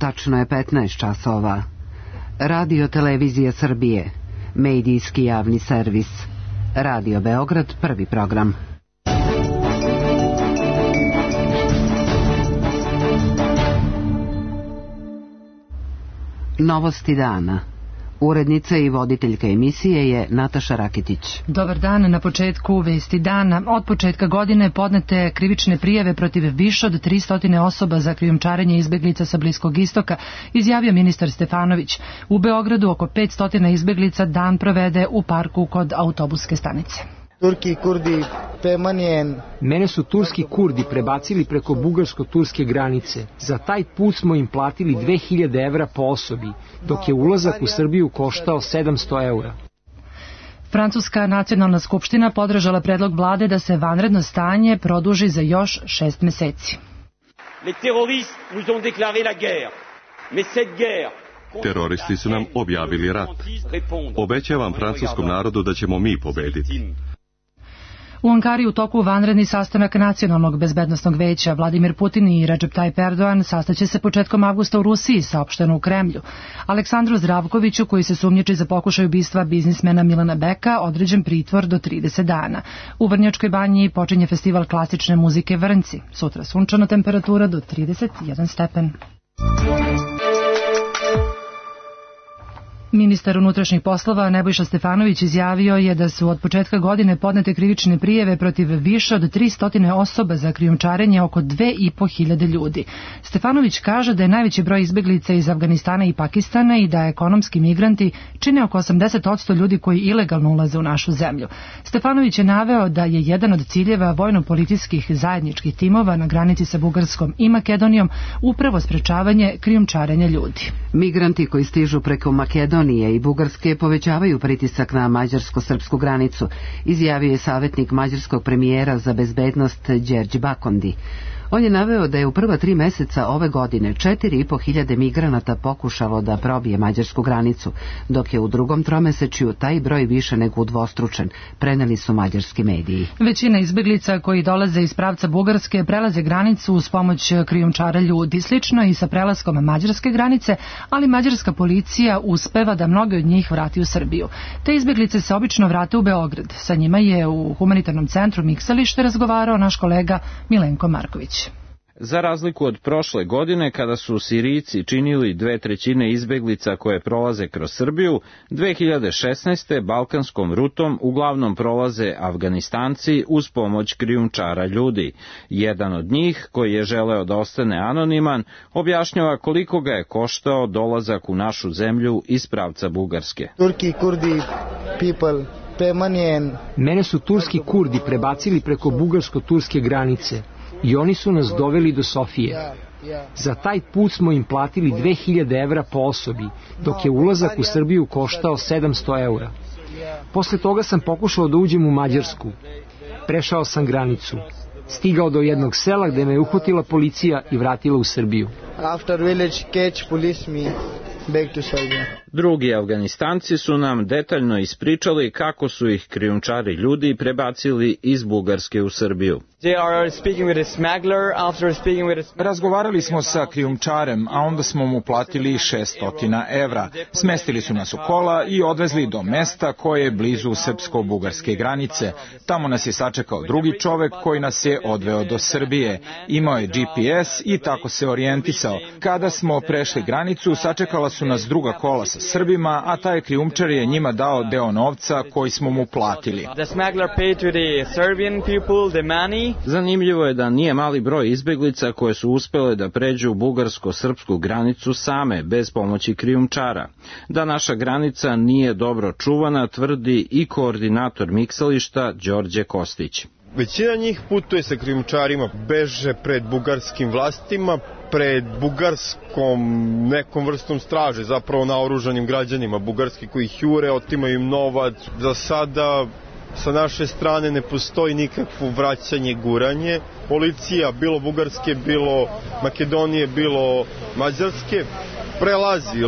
Tačno je 15 časova. Radio Televizija Srbije, medijski javni servis. Radio Beograd, prvi program. Novosti dana. Urednica i voditeljka emisije je Nataša Rakitić. Dobar dan, na početku vesti dana. Od početka godine podnete krivične prijave protiv više od 300 osoba za krijumčarenje izbeglica sa Bliskog istoka, izjavio ministar Stefanović. U Beogradu oko 500 izbeglica dan provede u parku kod autobuske stanice. Mene su turski Kurdi prebacili preko bugarsko-turske granice. Za taj put smo im platili 2000 evra po osobi, dok je ulazak u Srbiju koštao 700 evra. Francuska nacionalna skupština podržala predlog vlade da se vanredno stanje produži za još 6 meseci. Teroristi su nam objavili rat. Obećavam francuskom narodu da ćemo mi pobediti. U Ankari u toku vanredni sastanak Nacionalnog bezbednosnog veća. Vladimir Putin i Recep Tayyip Erdogan sastaće se početkom avgusta u Rusiji, saopšteno u Kremlju. Aleksandru Zdravkoviću, koji se sumnjiči za pokušaj ubistva biznismena Milana Beka, određen pritvor do 30 dana. U Vrnjačkoj banji počinje festival klasične muzike Vrnci. Sutra sunčana temperatura do 31 stepen. Ministar unutrašnjih poslova Nebojša Stefanović izjavio je da su od početka godine podnete krivične prijave protiv više od 300 osoba za krijumčarenje oko 2500 ljudi. Stefanović kaže da je najveći broj izbeglica iz Afganistana i Pakistana i da ekonomski migranti čine oko 80% ljudi koji ilegalno ulaze u našu zemlju. Stefanović je naveo da je jedan od ciljeva vojno-policijskih zajedničkih timova na granici sa Bugarskom i Makedonijom upravo sprečavanje krijumčarenja ljudi. Migranti koji stižu preko Makedonije i Bugarske povećavaju pritisak na mađarsko-srpsku granicu, izjavio je savjetnik mađarskog premijera za bezbednost Đerđ Bakondi. On je naveo da je u prva 3 meseca ove godine 4500 migranata pokušalo da probije mađarsku granicu, dok je u drugom tromesečju taj broj više nego udvostručen, preneli su mađarski mediji. Većina izbeglica koji dolaze iz pravca Bugarske prelaze granicu uz pomoć krijumčara ljudi. Slično i sa prelaskom mađarske granice, ali mađarska policija uspeva da mnoge od njih vrati u Srbiju. Te izbeglice se obično vrate u Beograd. Sa njima je u humanitarnom centru Miksalište razgovarao naš kolega Milenko Marković. Za razliku od prošle godine, kada su Sirijci činili 2/3 izbeglica koje prolaze kroz Srbiju, 2016. balkanskom rutom uglavnom prolaze Afganistanci uz pomoć krijumčara ljudi. Jedan od njih, koji je želeo da ostane anoniman, objašnjava koliko ga je koštao dolazak u našu zemlju iz pravca Bugarske. Mene su turski Kurdi prebacili preko bugarsko-turske granice i oni su nas doveli do Sofije. Za taj put smo im platili 2000 evra po osobi, dok je ulazak u Srbiju koštao 700 evra. Posle toga sam pokušao da uđem u Mađarsku. Prešao sam granicu. Stigao do jednog sela gde me je uhvatila policija i vratila u Srbiju. Drugi Afganistanci su nam detaljno ispričali kako su ih krijumčari ljudi prebacili iz Bugarske u Srbiju. Razgovarali smo sa krijumčarem, a onda smo mu platili 600 evra. Smestili su nas u kola i odvezli do mesta koje je blizu srpsko-bugarske granice. Tamo nas je sačekao drugi čovek koji nas je odveo do Srbije. Imao je GPS i tako se orijentisao. Kada smo prešli granicu, sačekala su nas druga kola sa Srbima, a taj krijumčar je njima dao deo novca koji smo mu platili. Zanimljivo je da nije mali broj izbeglica koje su uspele da pređu bugarsko-srpsku granicu same, bez pomoći krijumčara. Da naša granica nije dobro čuvana, tvrdi i koordinator Miksališta Đorđe Kostić. Većina njih putuje sa krijumčarima, beže pred bugarskim vlastima, pred bugarskom nekom vrstom straže, zapravo naoružanim građanima bugarski koji ih jure, otimaju im novac. Za sada sa naše strane ne postoji nikakvo vraćanje, guranje. Policija, bilo bugarske, bilo Makedonije, bilo mađarske, prelazi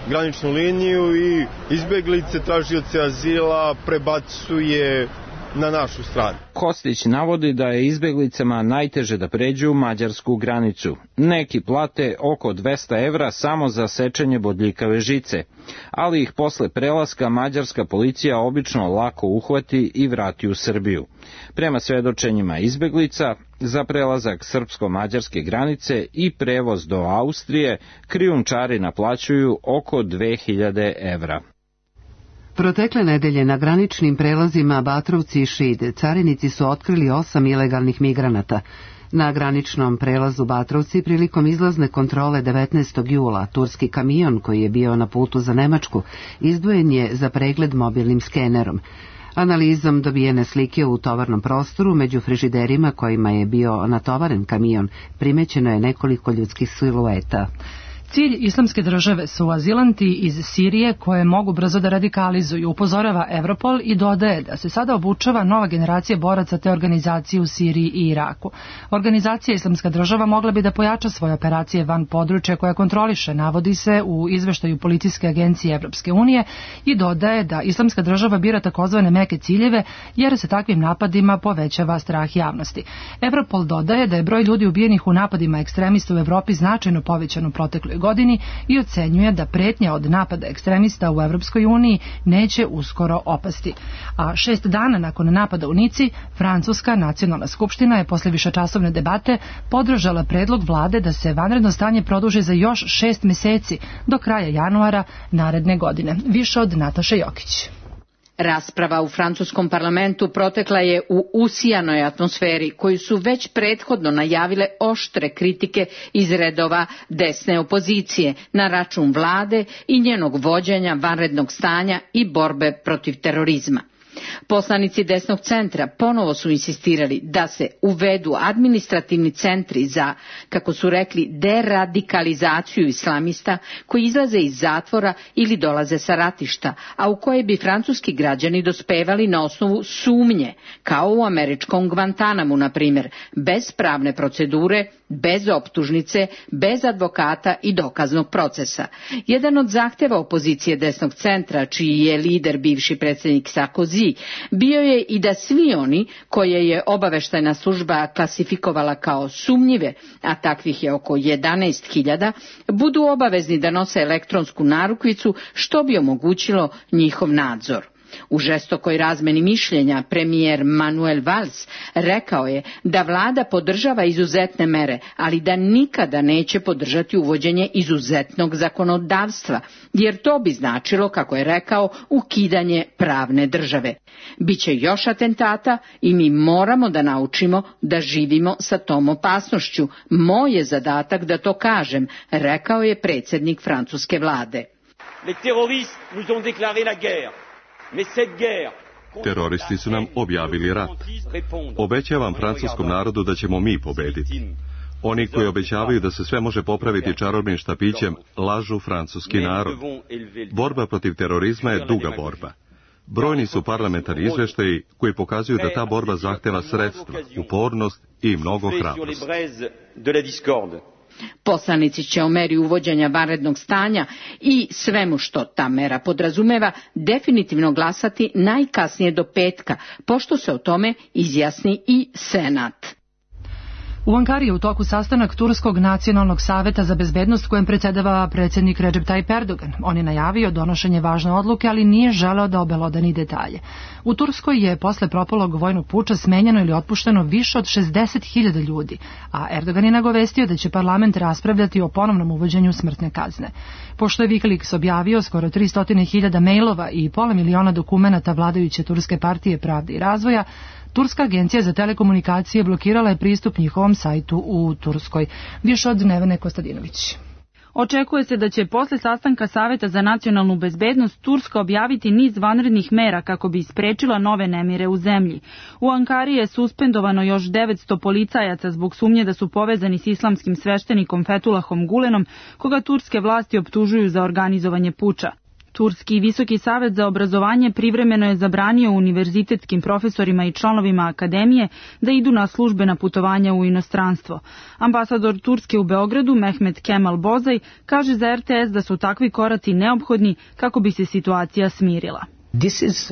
graničnu liniju i izbeglice, tražioce azila prebacuje na našu stranu. Kostić navodi da je izbeglicama najteže da pređu mađarsku granicu. Neki plate oko 200 evra samo za sečenje bodljikave žice, ali ih posle prelaska mađarska policija obično lako uhvati i vrati u Srbiju. Prema svedočenjima izbeglica, za prelazak srpsko-mađarske granice i prevoz do Austrije krijumčari naplaćuju oko 2000 evra. Protekle nedelje na graničnim prelazima Batrovci i Šid carinici su otkrili 8 ilegalnih migranata. Na graničnom prelazu Batrovci prilikom izlazne kontrole 19. jula turski kamion koji je bio na putu za Nemačku izdvojen je za pregled mobilnim skenerom. Analizom dobijene slike u tovarnom prostoru među frižiderima kojima je bio natovaren kamion primećeno je nekoliko ljudskih silueta. Cilj Islamske države su azilanti iz Sirije koje mogu brzo da radikalizuju, upozorava Europol i dodaje da se sada obučava nova generacija boraca te organizacije u Siriji i Iraku. Organizacija Islamska država mogla bi da pojača svoje operacije van područja koja kontroliše, navodi se u izveštaju Policijske agencije Evropske unije, i dodaje da Islamska država bira takozvane meke ciljeve jer se takvim napadima povećava strah javnosti. Europol dodaje da je broj ljudi ubijenih u napadima ekstremista u Evropi značajno povećan u protekloj godini i ocenjuje da pretnja od napada ekstremista u Evropskoj uniji neće uskoro opasti. A 6 dana nakon napada u Nici, Francuska nacionalna skupština je posle višečasovne debate podržala predlog vlade da se vanredno stanje produži za još 6 meseci do kraja januara naredne godine. Više od Nataše Jokić. Rasprava u francuskom parlamentu protekla je u usijanoj atmosferi koju su već prethodno najavile oštre kritike iz redova desne opozicije na račun vlade i njenog vođenja vanrednog stanja i borbe protiv terorizma. Poslanici desnog centra ponovo su insistirali da se uvedu administrativni centri za, kako su rekli, deradikalizaciju islamista koji izlaze iz zatvora ili dolaze sa ratišta, a u koje bi francuski građani dospevali na osnovu sumnje, kao u američkom Guantanamu, na primjer, bez pravne procedure, bez optužnice, bez advokata i dokaznog procesa. Jedan od zahteva opozicije desnog centra, čiji je lider bivši predsjednik Sarkozy, bio je i da svi oni koje je obaveštajna služba klasifikovala kao sumnjive, a takvih je oko 11.000, budu obavezni da nose elektronsku narukvicu, što bi omogućilo njihov nadzor. U žestokoj razmeni mišljenja premijer Manuel Valls rekao je da vlada podržava izuzetne mere, ali da nikada neće podržati uvođenje izuzetnog zakonodavstva, jer to bi značilo, kako je rekao, ukidanje pravne države. Biće još atentata i mi moramo da naučimo da živimo sa tom opasnošću. Moj je zadatak da to kažem, rekao je predsjednik francuske vlade. Les terroristes nous ont déclaré la guerre. Teroristi su nam objavili rat. Obećavam francuskom narodu da ćemo mi pobediti. Oni koji obećavaju da se sve može popraviti čarobnim štapićem, lažu francuski narod. Borba protiv terorizma je duga borba. Brojni su parlamentarni izveštaji koji pokazuju da ta borba zahteva sredstva, upornost i mnogo hrabrosti. Poslanici će o meri uvođenja vanrednog stanja i svemu što ta mera podrazumeva definitivno glasati najkasnije do petka, pošto se o tome izjasni i Senat. U Ankari je u toku sastanak Turskog nacionalnog saveta za bezbednost kojem predsjedava predsjednik Recep Tayyip Erdogan. On je najavio donošenje važne odluke, ali nije želeo da obelodani detalje. U Turskoj je posle propalog vojnog puča smenjeno ili otpušteno više od 60.000 ljudi, a Erdogan je nagovestio da će parlament raspravljati o ponovnom uvođenju smrtne kazne. Pošto je Wikileaks objavio skoro 300.000 mailova i pola miliona dokumenata vladajuće Turske partije pravde i razvoja, Turska agencija za telekomunikacije blokirala je pristup njihovom sajtu u Turskoj. Više od Nevene Kostadinović. Očekuje se da će posle sastanka Saveta za nacionalnu bezbednost Turska objaviti niz vanrednih mera kako bi sprečila nove nemire u zemlji. U Ankari je suspendovano još 900 policajaca zbog sumnje da su povezani s islamskim sveštenikom Fethullahom Gulenom, koga turske vlasti optužuju za organizovanje puča. Turski Visoki savet za obrazovanje privremeno je zabranio univerzitetskim profesorima i članovima akademije da idu na službena putovanja u inostranstvo. Ambasador Turske u Beogradu, Mehmet Kemal Bozaj, kaže za RTS da su takvi koraci neophodni kako bi se situacija smirila.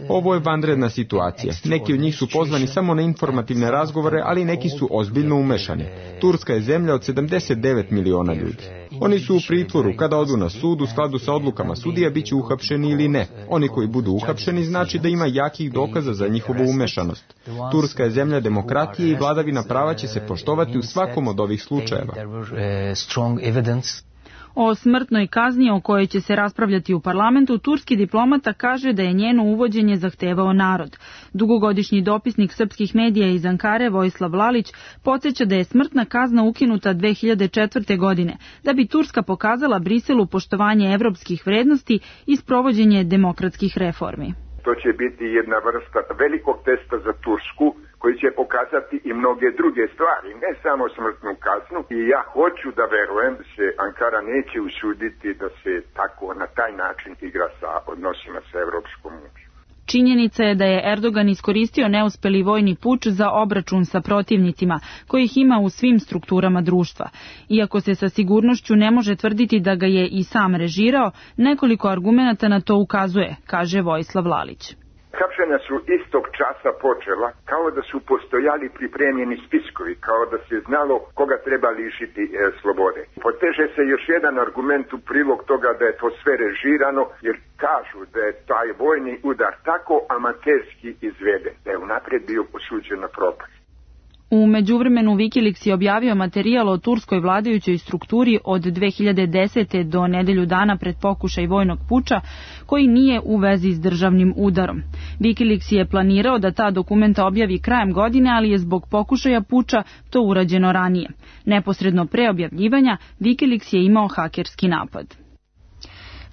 Ovo je vanredna situacija. Neki od njih su pozvani samo na informativne razgovore, ali neki su ozbiljno umešani. Turska je zemlja od 79 miliona ljudi. Oni su u pritvoru. Kada odu na sud, u skladu sa odlukama sudija, bit će uhapšeni ili ne. Oni koji budu uhapšeni znači da ima jakih dokaza za njihovu umešanost. Turska je zemlja demokratije i vladavina prava će se poštovati u svakom od ovih slučajeva. O smrtnoj kazni o kojoj će se raspravljati u parlamentu, turski diplomata kaže da je njeno uvođenje zahtevao narod. Dugogodišnji dopisnik srpskih medija iz Ankare, Vojislav Lalić, podsjeća da je smrtna kazna ukinuta 2004. godine, da bi Turska pokazala Briselu poštovanje evropskih vrednosti i sprovođenje demokratskih reformi. To će biti jedna vrsta velikog testa za Tursku, koji će pokazati i mnoge druge stvari, ne samo smrtnu kaznu. I ja hoću da verujem da se Ankara neće usuditi da se tako na taj način igra sa odnosima sa Evropskom unijom. Činjenica je da je Erdogan iskoristio neuspeli vojni puč za obračun sa protivnicima, kojih ima u svim strukturama društva. Iako se sa sigurnošću ne može tvrditi da ga je i sam režirao, nekoliko argumenata na to ukazuje, kaže Vojislav Lalić. Hapšenja su istog časa počela kao da su postojali pripremljeni spiskovi, kao da se znalo koga treba lišiti slobode. Poteže se još jedan argument u prilog toga da je to sve režirano, jer kažu da je taj vojni udar tako amaterski izveden, da je unaprijed bio osuđen na propast. U međuvremenu Wikileaks je objavio materijal o turskoj vladajućoj strukturi od 2010. do nedelju dana pred pokušaj vojnog puča, koji nije u vezi s državnim udarom. Wikileaks je planirao da ta dokumenta objavi krajem godine, ali je zbog pokušaja puča to urađeno ranije. Neposredno pre objavljivanja, Wikileaks je imao hakerski napad.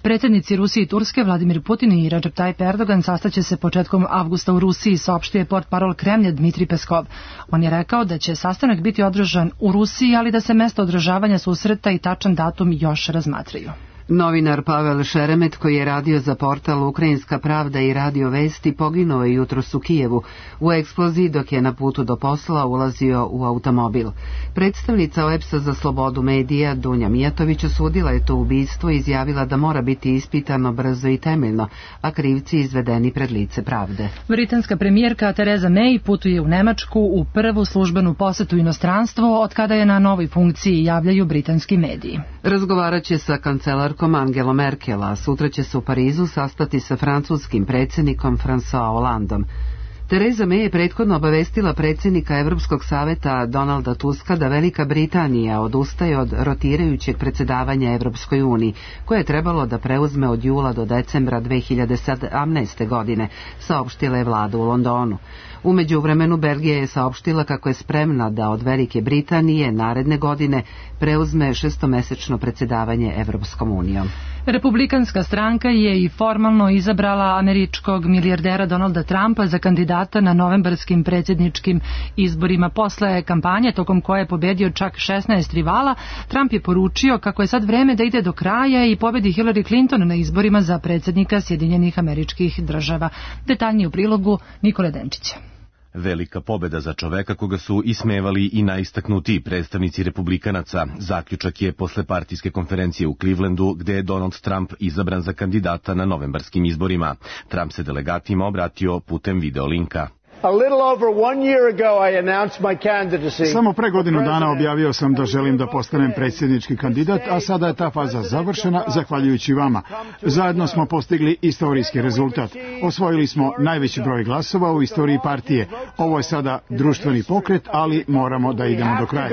Predsjednici Rusije i Turske Vladimir Putin i Recep Tayyip Erdogan sastaće se početkom avgusta u Rusiji, saopštio je portparol Kremlja Dmitrij Peskov. On je rekao da će sastanak biti održan u Rusiji, ali da se mesto održavanja susreta i tačan datum još razmatraju. Novinar Pavel Šeremet, koji je radio za portal Ukrajinska pravda i Radio Vesti, poginuo je jutros u Kijevu u eksploziji dok je na putu do posla ulazio u automobil. Predstavnica OEBS-a za slobodu medija Dunja Mijatović osudila je to ubistvo i izjavila da mora biti ispitano brzo i temeljno, a krivci izvedeni pred lice pravde. Britanska premijerka Theresa May putuje u Nemačku u prvu službenu posetu inostranstvu od kada je na novoj funkciji, javljaju britanski mediji. Razgovarat će sa kancelarkom Angelom Merkel, a sutra će se u Parizu sastati sa francuskim predsjednikom François Hollandom. Theresa May je prethodno obavestila predsjednika Europskog saveta Donalda Tuska da Velika Britanija odustaje od rotirajućeg predsjedavanja Europskoj uniji, koje je trebalo da preuzme od jula do decembra 2017. godine, saopštila je vlada u Londonu. U međuvremenu Belgija je saopštila kako je spremna da od Velike Britanije naredne godine preuzme šestomesečno predsjedavanje Evropskom unijom. Republikanska stranka je i formalno izabrala američkog milijardera Donalda Trumpa za kandidata na novembarskim predsjedničkim izborima. Posle kampanje, tokom koje je pobedio čak 16 rivala, Trump je poručio kako je sad vreme da ide do kraja i pobedi Hillary Clinton na izborima za predsjednika Sjedinjenih Američkih Država. Detaljnije u prilogu Nikole Denčića. Velika pobeda za čoveka koga su ismevali i najistaknutiji predstavnici republikanaca. Zaključak je posle partijske konferencije u Clevelandu, gde je Donald Trump izabran za kandidata na novembarskim izborima. Trump se delegatima obratio putem videolinka. Samo pre godinu dana objavio sam da želim da postanem predsjednički kandidat, a sada je ta faza završena zahvaljujući vama. Zajedno smo postigli istorijski rezultat. Osvojili smo najveći broj glasova u istoriji partije. Ovo je sada društveni pokret, ali moramo da idemo do kraja.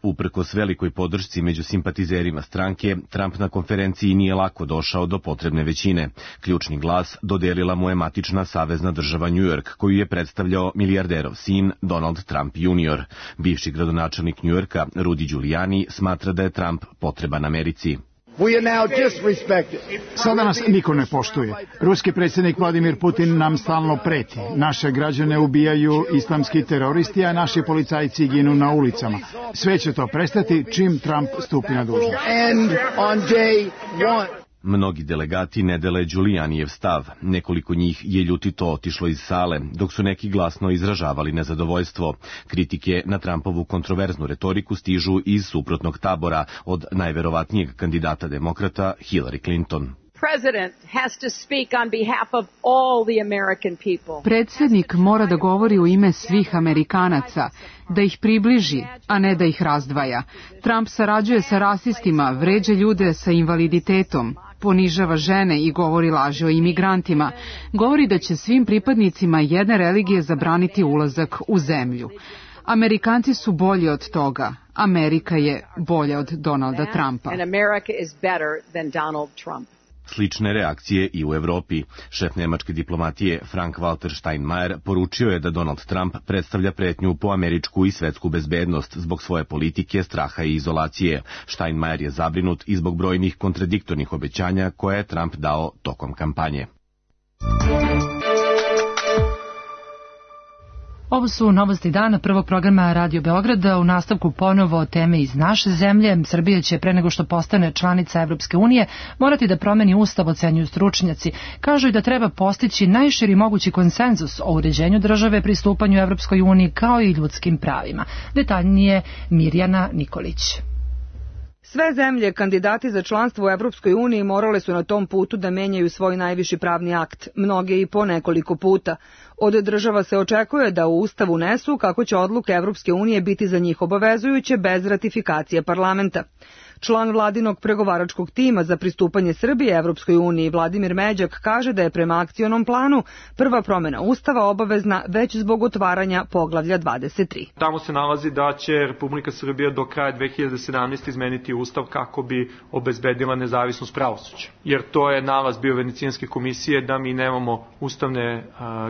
Uprkos velikoj podršci među simpatizerima stranke, Trump na konferenciji nije lako došao do potrebne većine. Ključni glas dodelila mu je matična savezna država New York, koju je predstavljao milijarderov sin Donald Trump Jr. Bivši gradonačelnik New Yorka, Rudy Giuliani, smatra da je Trump potreban Americi. Sada nas niko ne poštuje. Ruski predsjednik Vladimir Putin nam stalno preti. Naše građane ubijaju islamski teroristi, a naši policajci ginu na ulicama. Sve će to prestati čim Trump stupi na dužnost. Mnogi delegati ne dele Giulianijev stav. Nekoliko njih je ljutito otišlo iz sale, dok su neki glasno izražavali nezadovoljstvo. Kritike na Trumpovu kontroverznu retoriku stižu iz suprotnog tabora od najverovatnijeg kandidata demokrata Hillary Clinton. Predsjednik mora da govori u ime svih Amerikanaca, da ih približi, a ne da ih razdvaja. Trump sarađuje sa rasistima, vređa ljude sa invaliditetom, ponižava žene i govori laži o imigrantima. Govori da će svim pripadnicima jedne religije zabraniti ulazak u zemlju. Amerikanci su bolji od toga. Amerika je bolja od Donalda Trumpa. Slične reakcije i u Evropi. Šef nemačke diplomatije Frank-Walter Steinmeier poručio je da Donald Trump predstavlja pretnju po američku i svetsku bezbednost zbog svoje politike, straha i izolacije. Steinmeier je zabrinut i zbog brojnih kontradiktornih obećanja koje je Trump dao tokom kampanje. Ovo su novosti dana prvog programa Radio Beograda. U nastavku ponovo teme iz naše zemlje. Srbija će pre nego što postane članica Evropske unije morati da promeni ustav, ocenjuju stručnjaci. Kažu i da treba postići najširi mogući konsenzus o uređenju države, pristupanju Evropskoj uniji kao i ljudskim pravima. Detaljnije Mirjana Nikolić. Sve zemlje kandidati za članstvo u Evropskoj uniji morale su na tom putu da menjaju svoj najviši pravni akt, mnoge i po nekoliko puta. Od država se očekuje da u Ustav unesu kako će odluke Evropske unije biti za njih obavezujuće bez ratifikacije parlamenta. Član vladinog pregovaračkog tima za pristupanje Srbije Evropskoj uniji Vladimir Međak kaže da je prema akcionom planu prva promjena Ustava obavezna već zbog otvaranja poglavlja 23. Tamo se nalazi da će Republika Srbija do kraja 2017. izmeniti Ustav kako bi obezbedila nezavisnost pravosuđa. Jer to je nalaz bio Venecijanske komisije da mi nemamo ustavne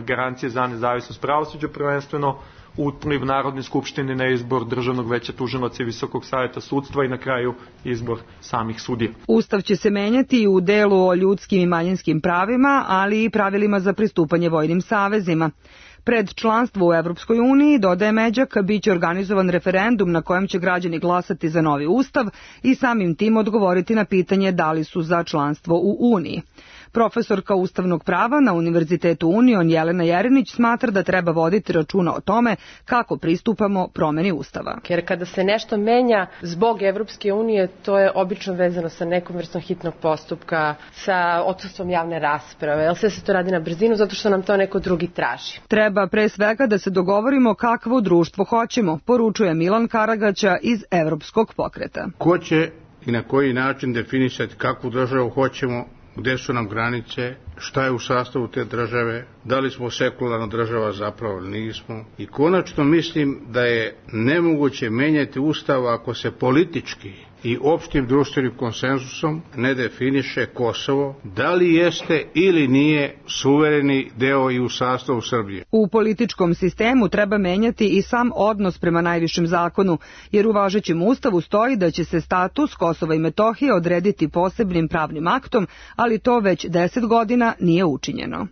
garancije za nezavisnost pravosuđa, prvenstveno upliv Narodne skupštine na izbor Državnog veća tužilaca i Visokog saveta sudstva i na kraju izbor samih sudija. Ustav će se menjati i u delu o ljudskim i manjinskim pravima, ali i pravilima za pristupanje vojnim savezima. Pred članstvo u Evropskoj uniji, dodaje Međak, biće organizovan referendum na kojem će građani glasati za novi ustav i samim tim odgovoriti na pitanje da li su za članstvo u Uniji. Profesorka ustavnog prava na Univerzitetu Union Jelena Jerinić smatra da treba voditi računa o tome kako pristupamo promeni Ustava. Jer kada se nešto menja zbog Evropske unije, to je obično vezano sa nekom vrstom hitnog postupka, sa odsustvom javne rasprave, jer sve se to radi na brzinu zato što nam to neko drugi traži. Treba pre svega da se dogovorimo kakvo društvo hoćemo, poručuje Milan Karagaća iz Evropskog pokreta. Ko će i na koji način definisati kakvu državu hoćemo, gde su nam granice, šta je u sastavu te države, da li smo sekularna država zapravo ili nismo. I konačno mislim da je nemoguće menjati Ustav ako se politički i opštim društvenim konsenzusom ne definiše Kosovo, da li jeste ili nije suvereni deo i u sastavu Srbije. U političkom sistemu treba menjati i sam odnos prema najvišem zakonu, jer u važećem Ustavu stoji da će se status Kosova i Metohije odrediti posebnim pravnim aktom, ali to već 10 godina nije učinjeno.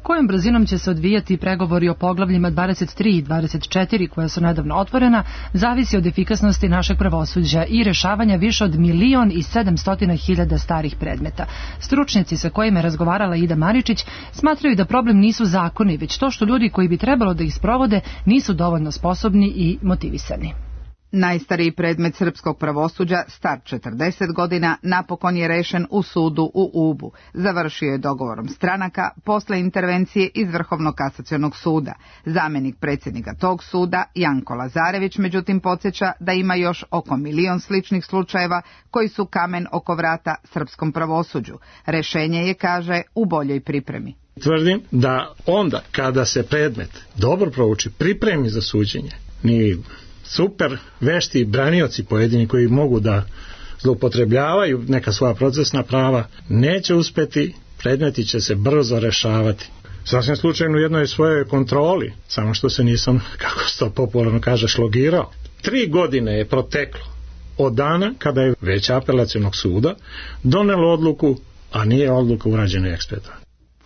Kojom brzinom će se odvijati pregovori o poglavljima 23 i 24 koja su nedavno otvorena, zavisi od efikasnosti našeg pravosuđa i rešavanja više od 1.700.000 starih predmeta. Stručnjaci sa kojima je razgovarala Ida Maričić smatraju da problem nisu zakoni, već to što ljudi koji bi trebalo da ih sprovode nisu dovoljno sposobni i motivisani. Najstariji predmet srpskog pravosuđa, star 40 godina, napokon je rešen u sudu u Ubu. Završio je dogovorom stranaka posle intervencije iz Vrhovnog kasacionog suda. Zamenik predsjednika tog suda, Janko Lazarević, međutim podsjeća da ima još oko 1.000.000 sličnih slučajeva koji su kamen oko vrata srpskom pravosuđu. Rešenje je, kaže, u boljoj pripremi. Tvrdim da onda kada se predmet dobro prouči, pripremi za suđenje, ni super vešti branioci pojedini koji mogu da zloupotrebljavaju neka svoja procesna prava, neće uspeti, predmeti će se brzo rešavati. Sasvim slučajno u jednoj svojoj kontroli, samo što se nisam, kako se to popularno kaže, šlogirao. 3 godine je proteklo od dana kada je Veće apelacionog suda donelo odluku, a nije odluka urađena eksperta.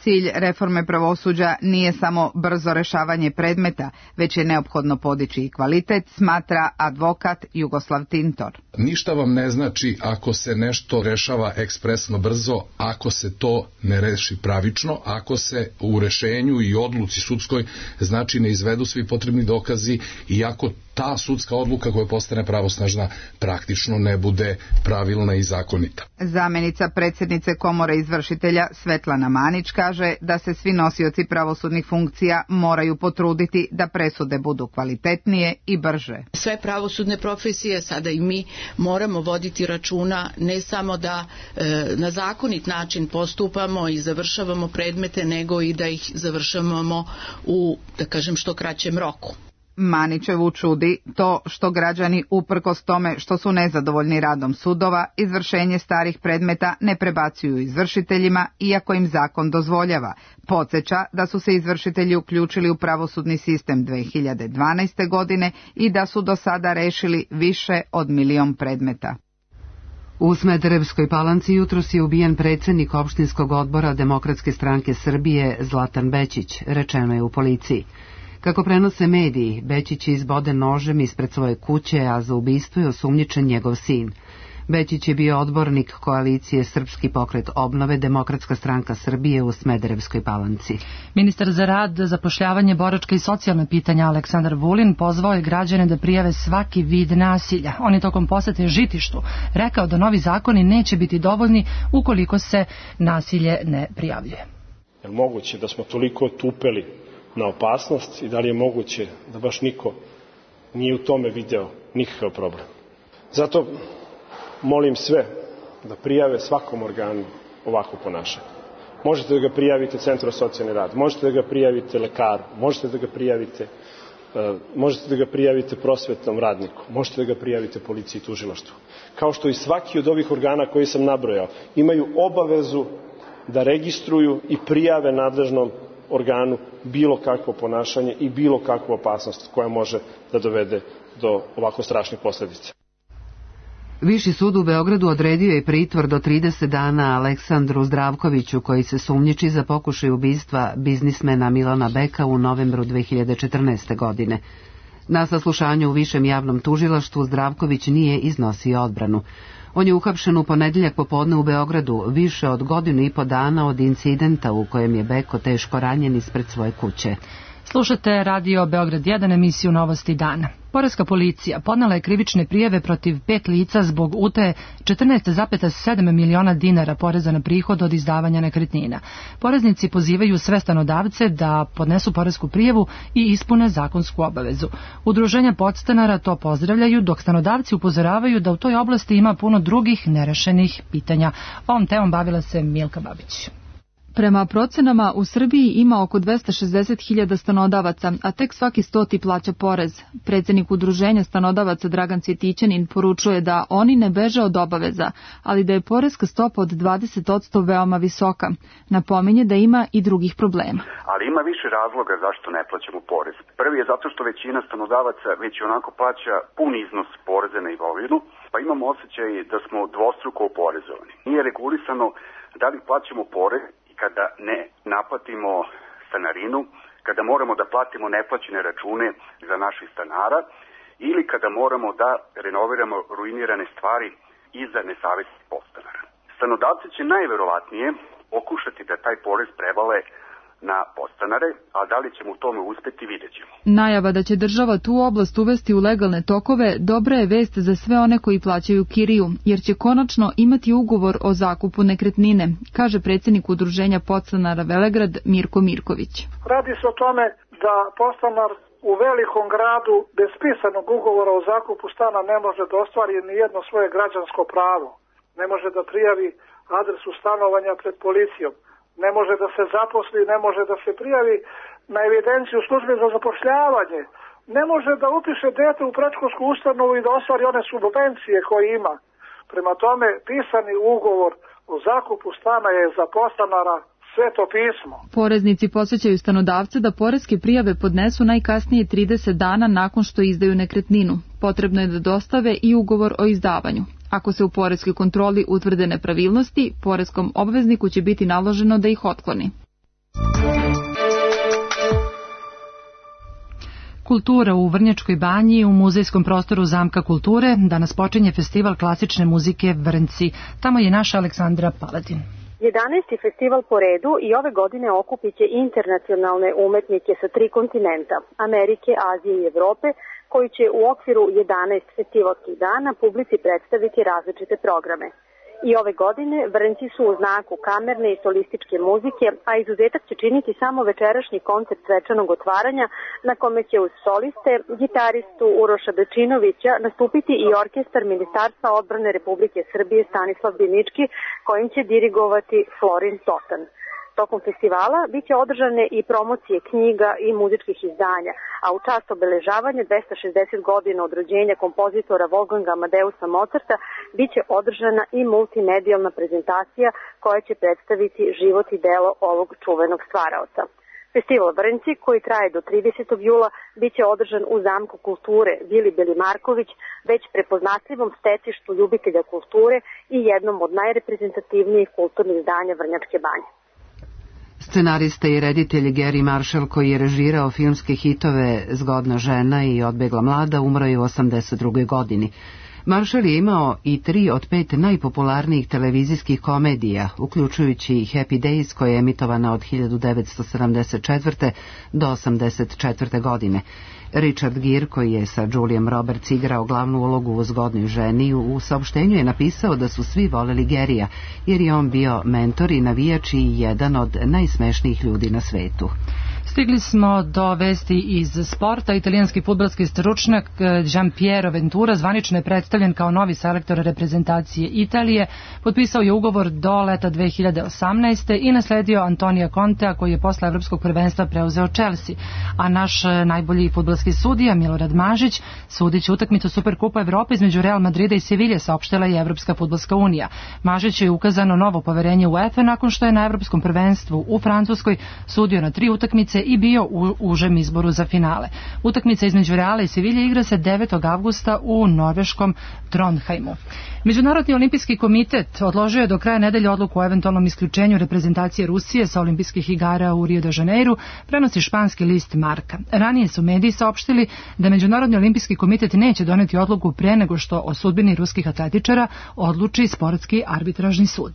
Cilj reforme pravosuđa nije samo brzo rešavanje predmeta, već je neophodno podići i kvalitet, smatra advokat Jugoslav Tintor. Ništa vam ne znači ako se nešto rešava ekspresno brzo, ako se to ne reši pravično, ako se u rešenju i odluci sudskoj znači ne izvedu svi potrebni dokazi i ako ta sudska odluka koja postane pravosnažna praktično ne bude pravilna i zakonita. Zamenica predsjednice Komore izvršitelja Svetlana Manić kaže da se svi nosioci pravosudnih funkcija moraju potruditi da presude budu kvalitetnije i brže. Sve pravosudne profesije, sada i mi, moramo voditi računa ne samo da na zakonit način postupamo i završavamo predmete, nego i da ih završavamo u, da kažem, što kraćem roku. Manićevu čudi to što građani, uprkos tome što su nezadovoljni radom sudova, izvršenje starih predmeta ne prebacuju izvršiteljima, iako im zakon dozvoljava. Podsjeća da su se izvršitelji uključili u pravosudni sistem 2012. godine i da su do sada rešili više od 1 milion predmeta. U Smederevskoj Palanci jutros je ubijen predsjednik opštinskog odbora Demokratske stranke Srbije Zlatan Bećić, rečeno je u policiji. Kako prenose mediji, Bećić je izboden nožem ispred svoje kuće, a za ubistvo je osumnjičen njegov sin. Bećić je bio odbornik koalicije Srpski pokret obnove Demokratska stranka Srbije u Smederevskoj Palanci. Ministar za rad, zapošljavanje, boračka i socijalna pitanja Aleksandar Vulin pozvao je građane da prijave svaki vid nasilja. On je tokom posete Žitištu rekao da novi zakoni neće biti dovoljni ukoliko se nasilje ne prijavljuje. Je li moguće da smo toliko tupeli na opasnost i da li je moguće da baš niko nije u tome video nikakav problem? Zato molim sve da prijave svakom organu ovako ponašanje. Možete da ga prijavite Centru za socijalni rad, možete da ga prijavite lekaru, možete da ga prijavite prosvetnom radniku, možete da ga prijavite policiji i tužilaštvu. Kao što i svaki od ovih organa koji sam nabrojao imaju obavezu da registruju i prijave nadležnom organu bilo kakvo ponašanje i bilo kakvu opasnost koja može da dovede do ovako strašnih posljedica. Viši sud u Beogradu odredio je pritvor do 30 dana Aleksandru Zdravkoviću, koji se sumnjiči za pokušaj ubistva biznismena Milana Beka u novembru 2014. godine. Na saslušanju u Višem javnom tužilaštvu Zdravković nije iznosio odbranu. On je uhapšen u ponedeljak popodne u Beogradu, više od 1,5 godina od incidenta u kojem je Beko teško ranjen ispred svoje kuće. Slušate Radio Beograd 1, emisiju Novosti dana. Poreska policija podnela je krivične prijave protiv 5 lica zbog utaje 14,7 miliona dinara poreza na prihod od izdavanja nekretnina. Poreznici pozivaju sve stanodavce da podnesu poresku prijavu i ispune zakonsku obavezu. Udruženja podstanara to pozdravljaju, dok stanodavci upozoravaju da u toj oblasti ima puno drugih nerešenih pitanja. Ovom temom bavila se Milka Babić. Prema procenama, u Srbiji ima oko 260.000 stanodavaca, a tek svaki 100. plaća porez. Predsjednik udruženja stanodavaca Dragan Cvjetićanin poručuje da oni ne beže od obaveza, ali da je poreska stopa od 20% veoma visoka. Napominje da ima i drugih problema. Ali ima više razloga zašto ne plaćamo porez. Prvi je zato što većina stanodavaca već onako plaća pun iznos poreza na imovinu, pa imamo osjećaj da smo dvostruko oporezovani. Nije regulisano da li plaćamo porez kada ne naplatimo stanarinu, kada moramo da platimo neplaćene račune za naših stanara ili kada moramo da renoviramo ruinirane stvari iza nesavesnih podstanara. Stanodavci će najverovatnije pokušati da taj porez prevale na podstanare, a da li ćemo u tome uspeti, vidjet ćemo. Najava da će država tu oblast uvesti u legalne tokove dobra je vest za sve one koji plaćaju kiriju, jer će konačno imati ugovor o zakupu nekretnine, kaže predsjednik udruženja podstanara Velegrad Mirko Mirković. Radi se o tome da podstanar u velikom gradu bez pisanog ugovora o zakupu stana ne može da ostvari ni jedno svoje građansko pravo. Ne može da prijavi adresu stanovanja pred policijom. Ne može da se zaposli, ne može da se prijavi na evidenciju službe za zapošljavanje, ne može da upiše dete u predškolsku ustanovu i da ostvari one subvencije koje ima. Prema tome, pisani ugovor o zakupu stana je za podstanara Sveto pismo. Poreznici podsjećaju stanodavce da poreske prijave podnesu najkasnije 30 dana nakon što izdaju nekretninu. Potrebno je da dostave i ugovor o izdavanju. Ako se u poreskoj kontroli utvrde nepravilnosti, poreskom obvezniku će biti naloženo da ih otkloni. Kultura u Vrnjačkoj banji u muzejskom prostoru Zamka kulture. Danas počinje festival klasične muzike Vrnci. Tamo je naša Aleksandra Paladin. 11. festival po redu i ove godine okupit će internacionalne umetnike sa 3 kontinenta, Amerike, Azije i Evrope, koji će u okviru 11 festivalskih dana publici predstaviti različite programe. I ove godine Vrnci su u znaku kamerne i solističke muzike, a izuzetak će činiti samo večerašnji koncert svečanog otvaranja, na kome će uz soliste, gitaristu Uroša Bečinovića nastupiti i orkestar Ministarstva odbrane Republike Srbije Stanislav Binički, kojim će dirigovati Florin Totan. Tokom festivala biće održane i promocije knjiga i muzičkih izdanja, a u čast obeležavanja 260 godina od rođenja kompozitora Wolfganga Amadeusa Mozarta biće održana i multimedijalna prezentacija koja će predstaviti život i delo ovog čuvenog stvaraoca. Festival Vrnci, koji traje do 30. jula, biće održan u Zamku kulture Vili Belimarković, već prepoznatljivom stecištu ljubitelja kulture i jednom od najreprezentativnijih kulturnih izdanja Vrnjačke banje. Scenarista i reditelj Gary Marshall, koji je režirao filmske hitove Zgodna žena i Odbegla mlada, umro je u 82. godini. Marshall je imao i 3 od 5 najpopularnijih televizijskih komedija, uključujući Happy Days, koja je emitovana od 1974. do 1984. godine. Richard Gere, koji je sa Julijem Roberts igrao glavnu ulogu u Zgodnoj ženi, u saopštenju je napisao da su svi voleli Garyja, jer je on bio mentor i navijač i jedan od najsmešnijih ljudi na svetu. Stigli smo do vesti iz sporta. Italijanski fudbalski stručnjak Gianpiero Ventura zvanično je predstavljen kao novi selektor reprezentacije Italije. Potpisao je ugovor do leta 2018. i nasledio Antonija Contea, koji je posle evropskog prvenstva preuzeo Chelsea. A naš najbolji fudbalski sudija Milorad Mažić sudit će utakmicu Superkupa Evrope između Real Madrida i Sevilje, saopštila je Evropska fudbalska unija. Mažić je ukazano novo poverenje UEFA nakon što je na evropskom prvenstvu u Francuskoj sudio na 3 utakmice i bio u užem izboru za finale. Utakmica između Reala i Sevilje igra se 9. avgusta u norveškom Trondheimu. Međunarodni olimpijski komitet odložio je do kraja nedelje odluku o eventualnom isključenju reprezentacije Rusije sa olimpijskih igara u Rio de Janeiru, prenosi španski list Marka. Ranije su mediji saopštili da Međunarodni olimpijski komitet neće doneti odluku pre nego što o sudbini ruskih atletičara odluči sportski arbitražni sud.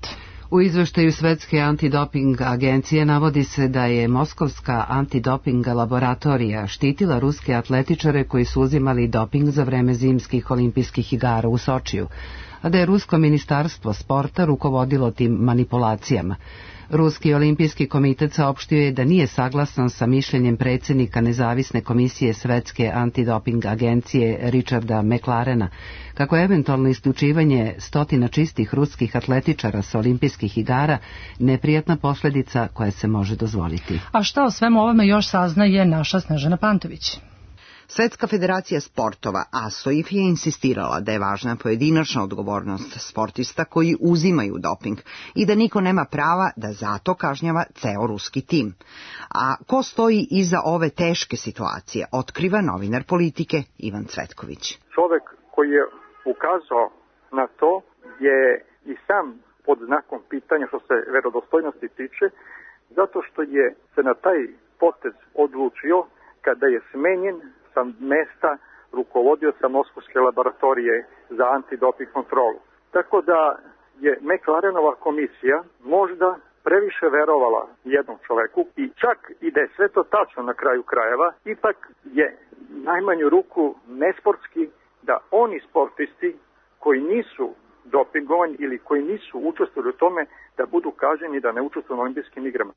U izveštaju Svetske antidoping agencije navodi se da je Moskovska antidoping laboratorija štitila ruske atletičare koji su uzimali doping za vreme zimskih olimpijskih igara u Sočiju, a da je Rusko ministarstvo sporta rukovodilo tim manipulacijama. Ruski olimpijski komitet saopštio je da nije saglasan sa mišljenjem predsjednika nezavisne komisije Svetske antidoping agencije Richarda McLarena, kako je eventualno isključivanje 100 čistih ruskih atletičara sa olimpijskih igara neprijatna posljedica koja se može dozvoliti. A šta o svemu ovome još saznaje naša Snežana Pantović? Svetska federacija sportova ASOIF je insistirala da je važna pojedinačna odgovornost sportista koji uzimaju doping i da niko nema prava da zato kažnjava ceo ruski tim. A ko stoji iza ove teške situacije, otkriva novinar Politike Ivan Cvetković. Čovek koji je ukazao na to je i sam pod znakom pitanja što se verodostojnosti tiče, zato što je se na taj potez odlučio kada je smenjen sa mesta rukovodioca Moskovske laboratorije za antidoping kontrolu. Tako da je McLarenova komisija možda previše verovala jednom čoveku i čak i da je sve to tačno na kraju krajeva, ipak je najmanju ruku nesportski da oni sportisti koji nisu dopingovani ili koji nisu učestvovali u tome da budu kažnjeni da ne učestvuju na olimpijskim igrama.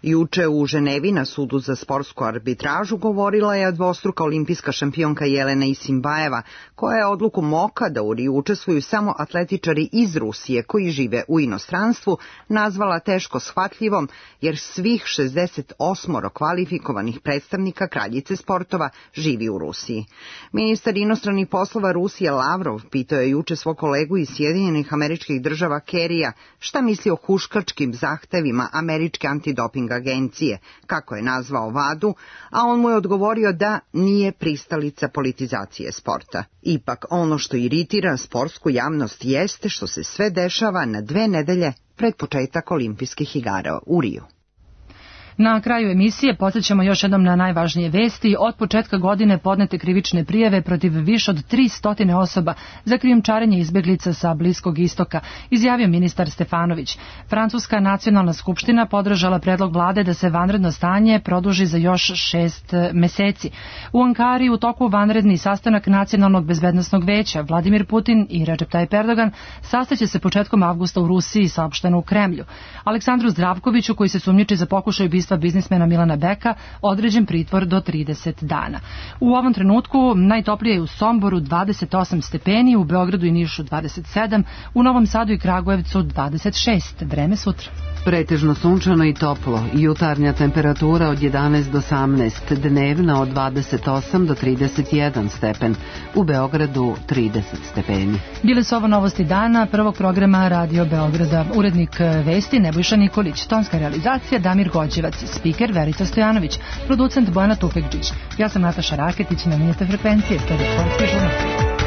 Juče u Ženevi na sudu za sportsku arbitražu govorila je dvostruka olimpijska šampionka Jelena Isimbajeva, koja je odluku MOKA da u Riju učestvuju samo atletičari iz Rusije koji žive u inostranstvu nazvala teško shvatljivom, jer svih 68 kvalifikovanih predstavnika kraljice sportova živi u Rusiji. Ministar inostranih poslova Rusije Lavrov pitao je juče svog kolegu iz Sjedinjenih Američkih Država Kerrya šta misli o huškačkim zahtevima američke antidoping agencije, kako je nazvao VADU, a on mu je odgovorio da nije pristalica politizacije sporta. Ipak ono što iritira sportsku javnost jeste što se sve dešava na 2 nedelje pred početak olimpijskih igara u Riju. Na kraju emisije podsjećamo još jednom na najvažnije vesti. Od početka godine podnete krivične prijave protiv više od 300 osoba za krijumčarenje izbeglica sa Bliskog istoka, izjavio ministar Stefanović. Francuska nacionalna skupština podržala predlog vlade da se vanredno stanje produži za još 6 meseci. U Ankari u toku vanredni sastanak Nacionalnog bezbednosnog veća. Vladimir Putin i Recep Tayyip Erdogan sastaće se početkom avgusta u Rusiji, saopšteno u Kremlju. Aleksandru Zdravkoviću, koji se sumnjiči za pokušaj ubistva biznismena Milana Beka, određen pritvor do 30 dana. U ovom trenutku najtoplije je u Somboru 28 stepeni, u Beogradu i Nišu 27, u Novom Sadu i Kragujevcu 26. Vreme sutra. Pretežno sunčano i toplo. Jutarnja temperatura od 11 do 18, dnevna od 28 do 31 stepen. U Beogradu 30 stepeni. Bile su ovo novosti dana prvog programa Radio Beograda. Urednik vesti Nebojša Nikolić, tonska realizacija Damir Gođevac, spiker Verica Stojanović, producent Bojana Tufekđić. Ja sam Nataša Raketić, namenjete frekvencije, sledi Sportski žurnal.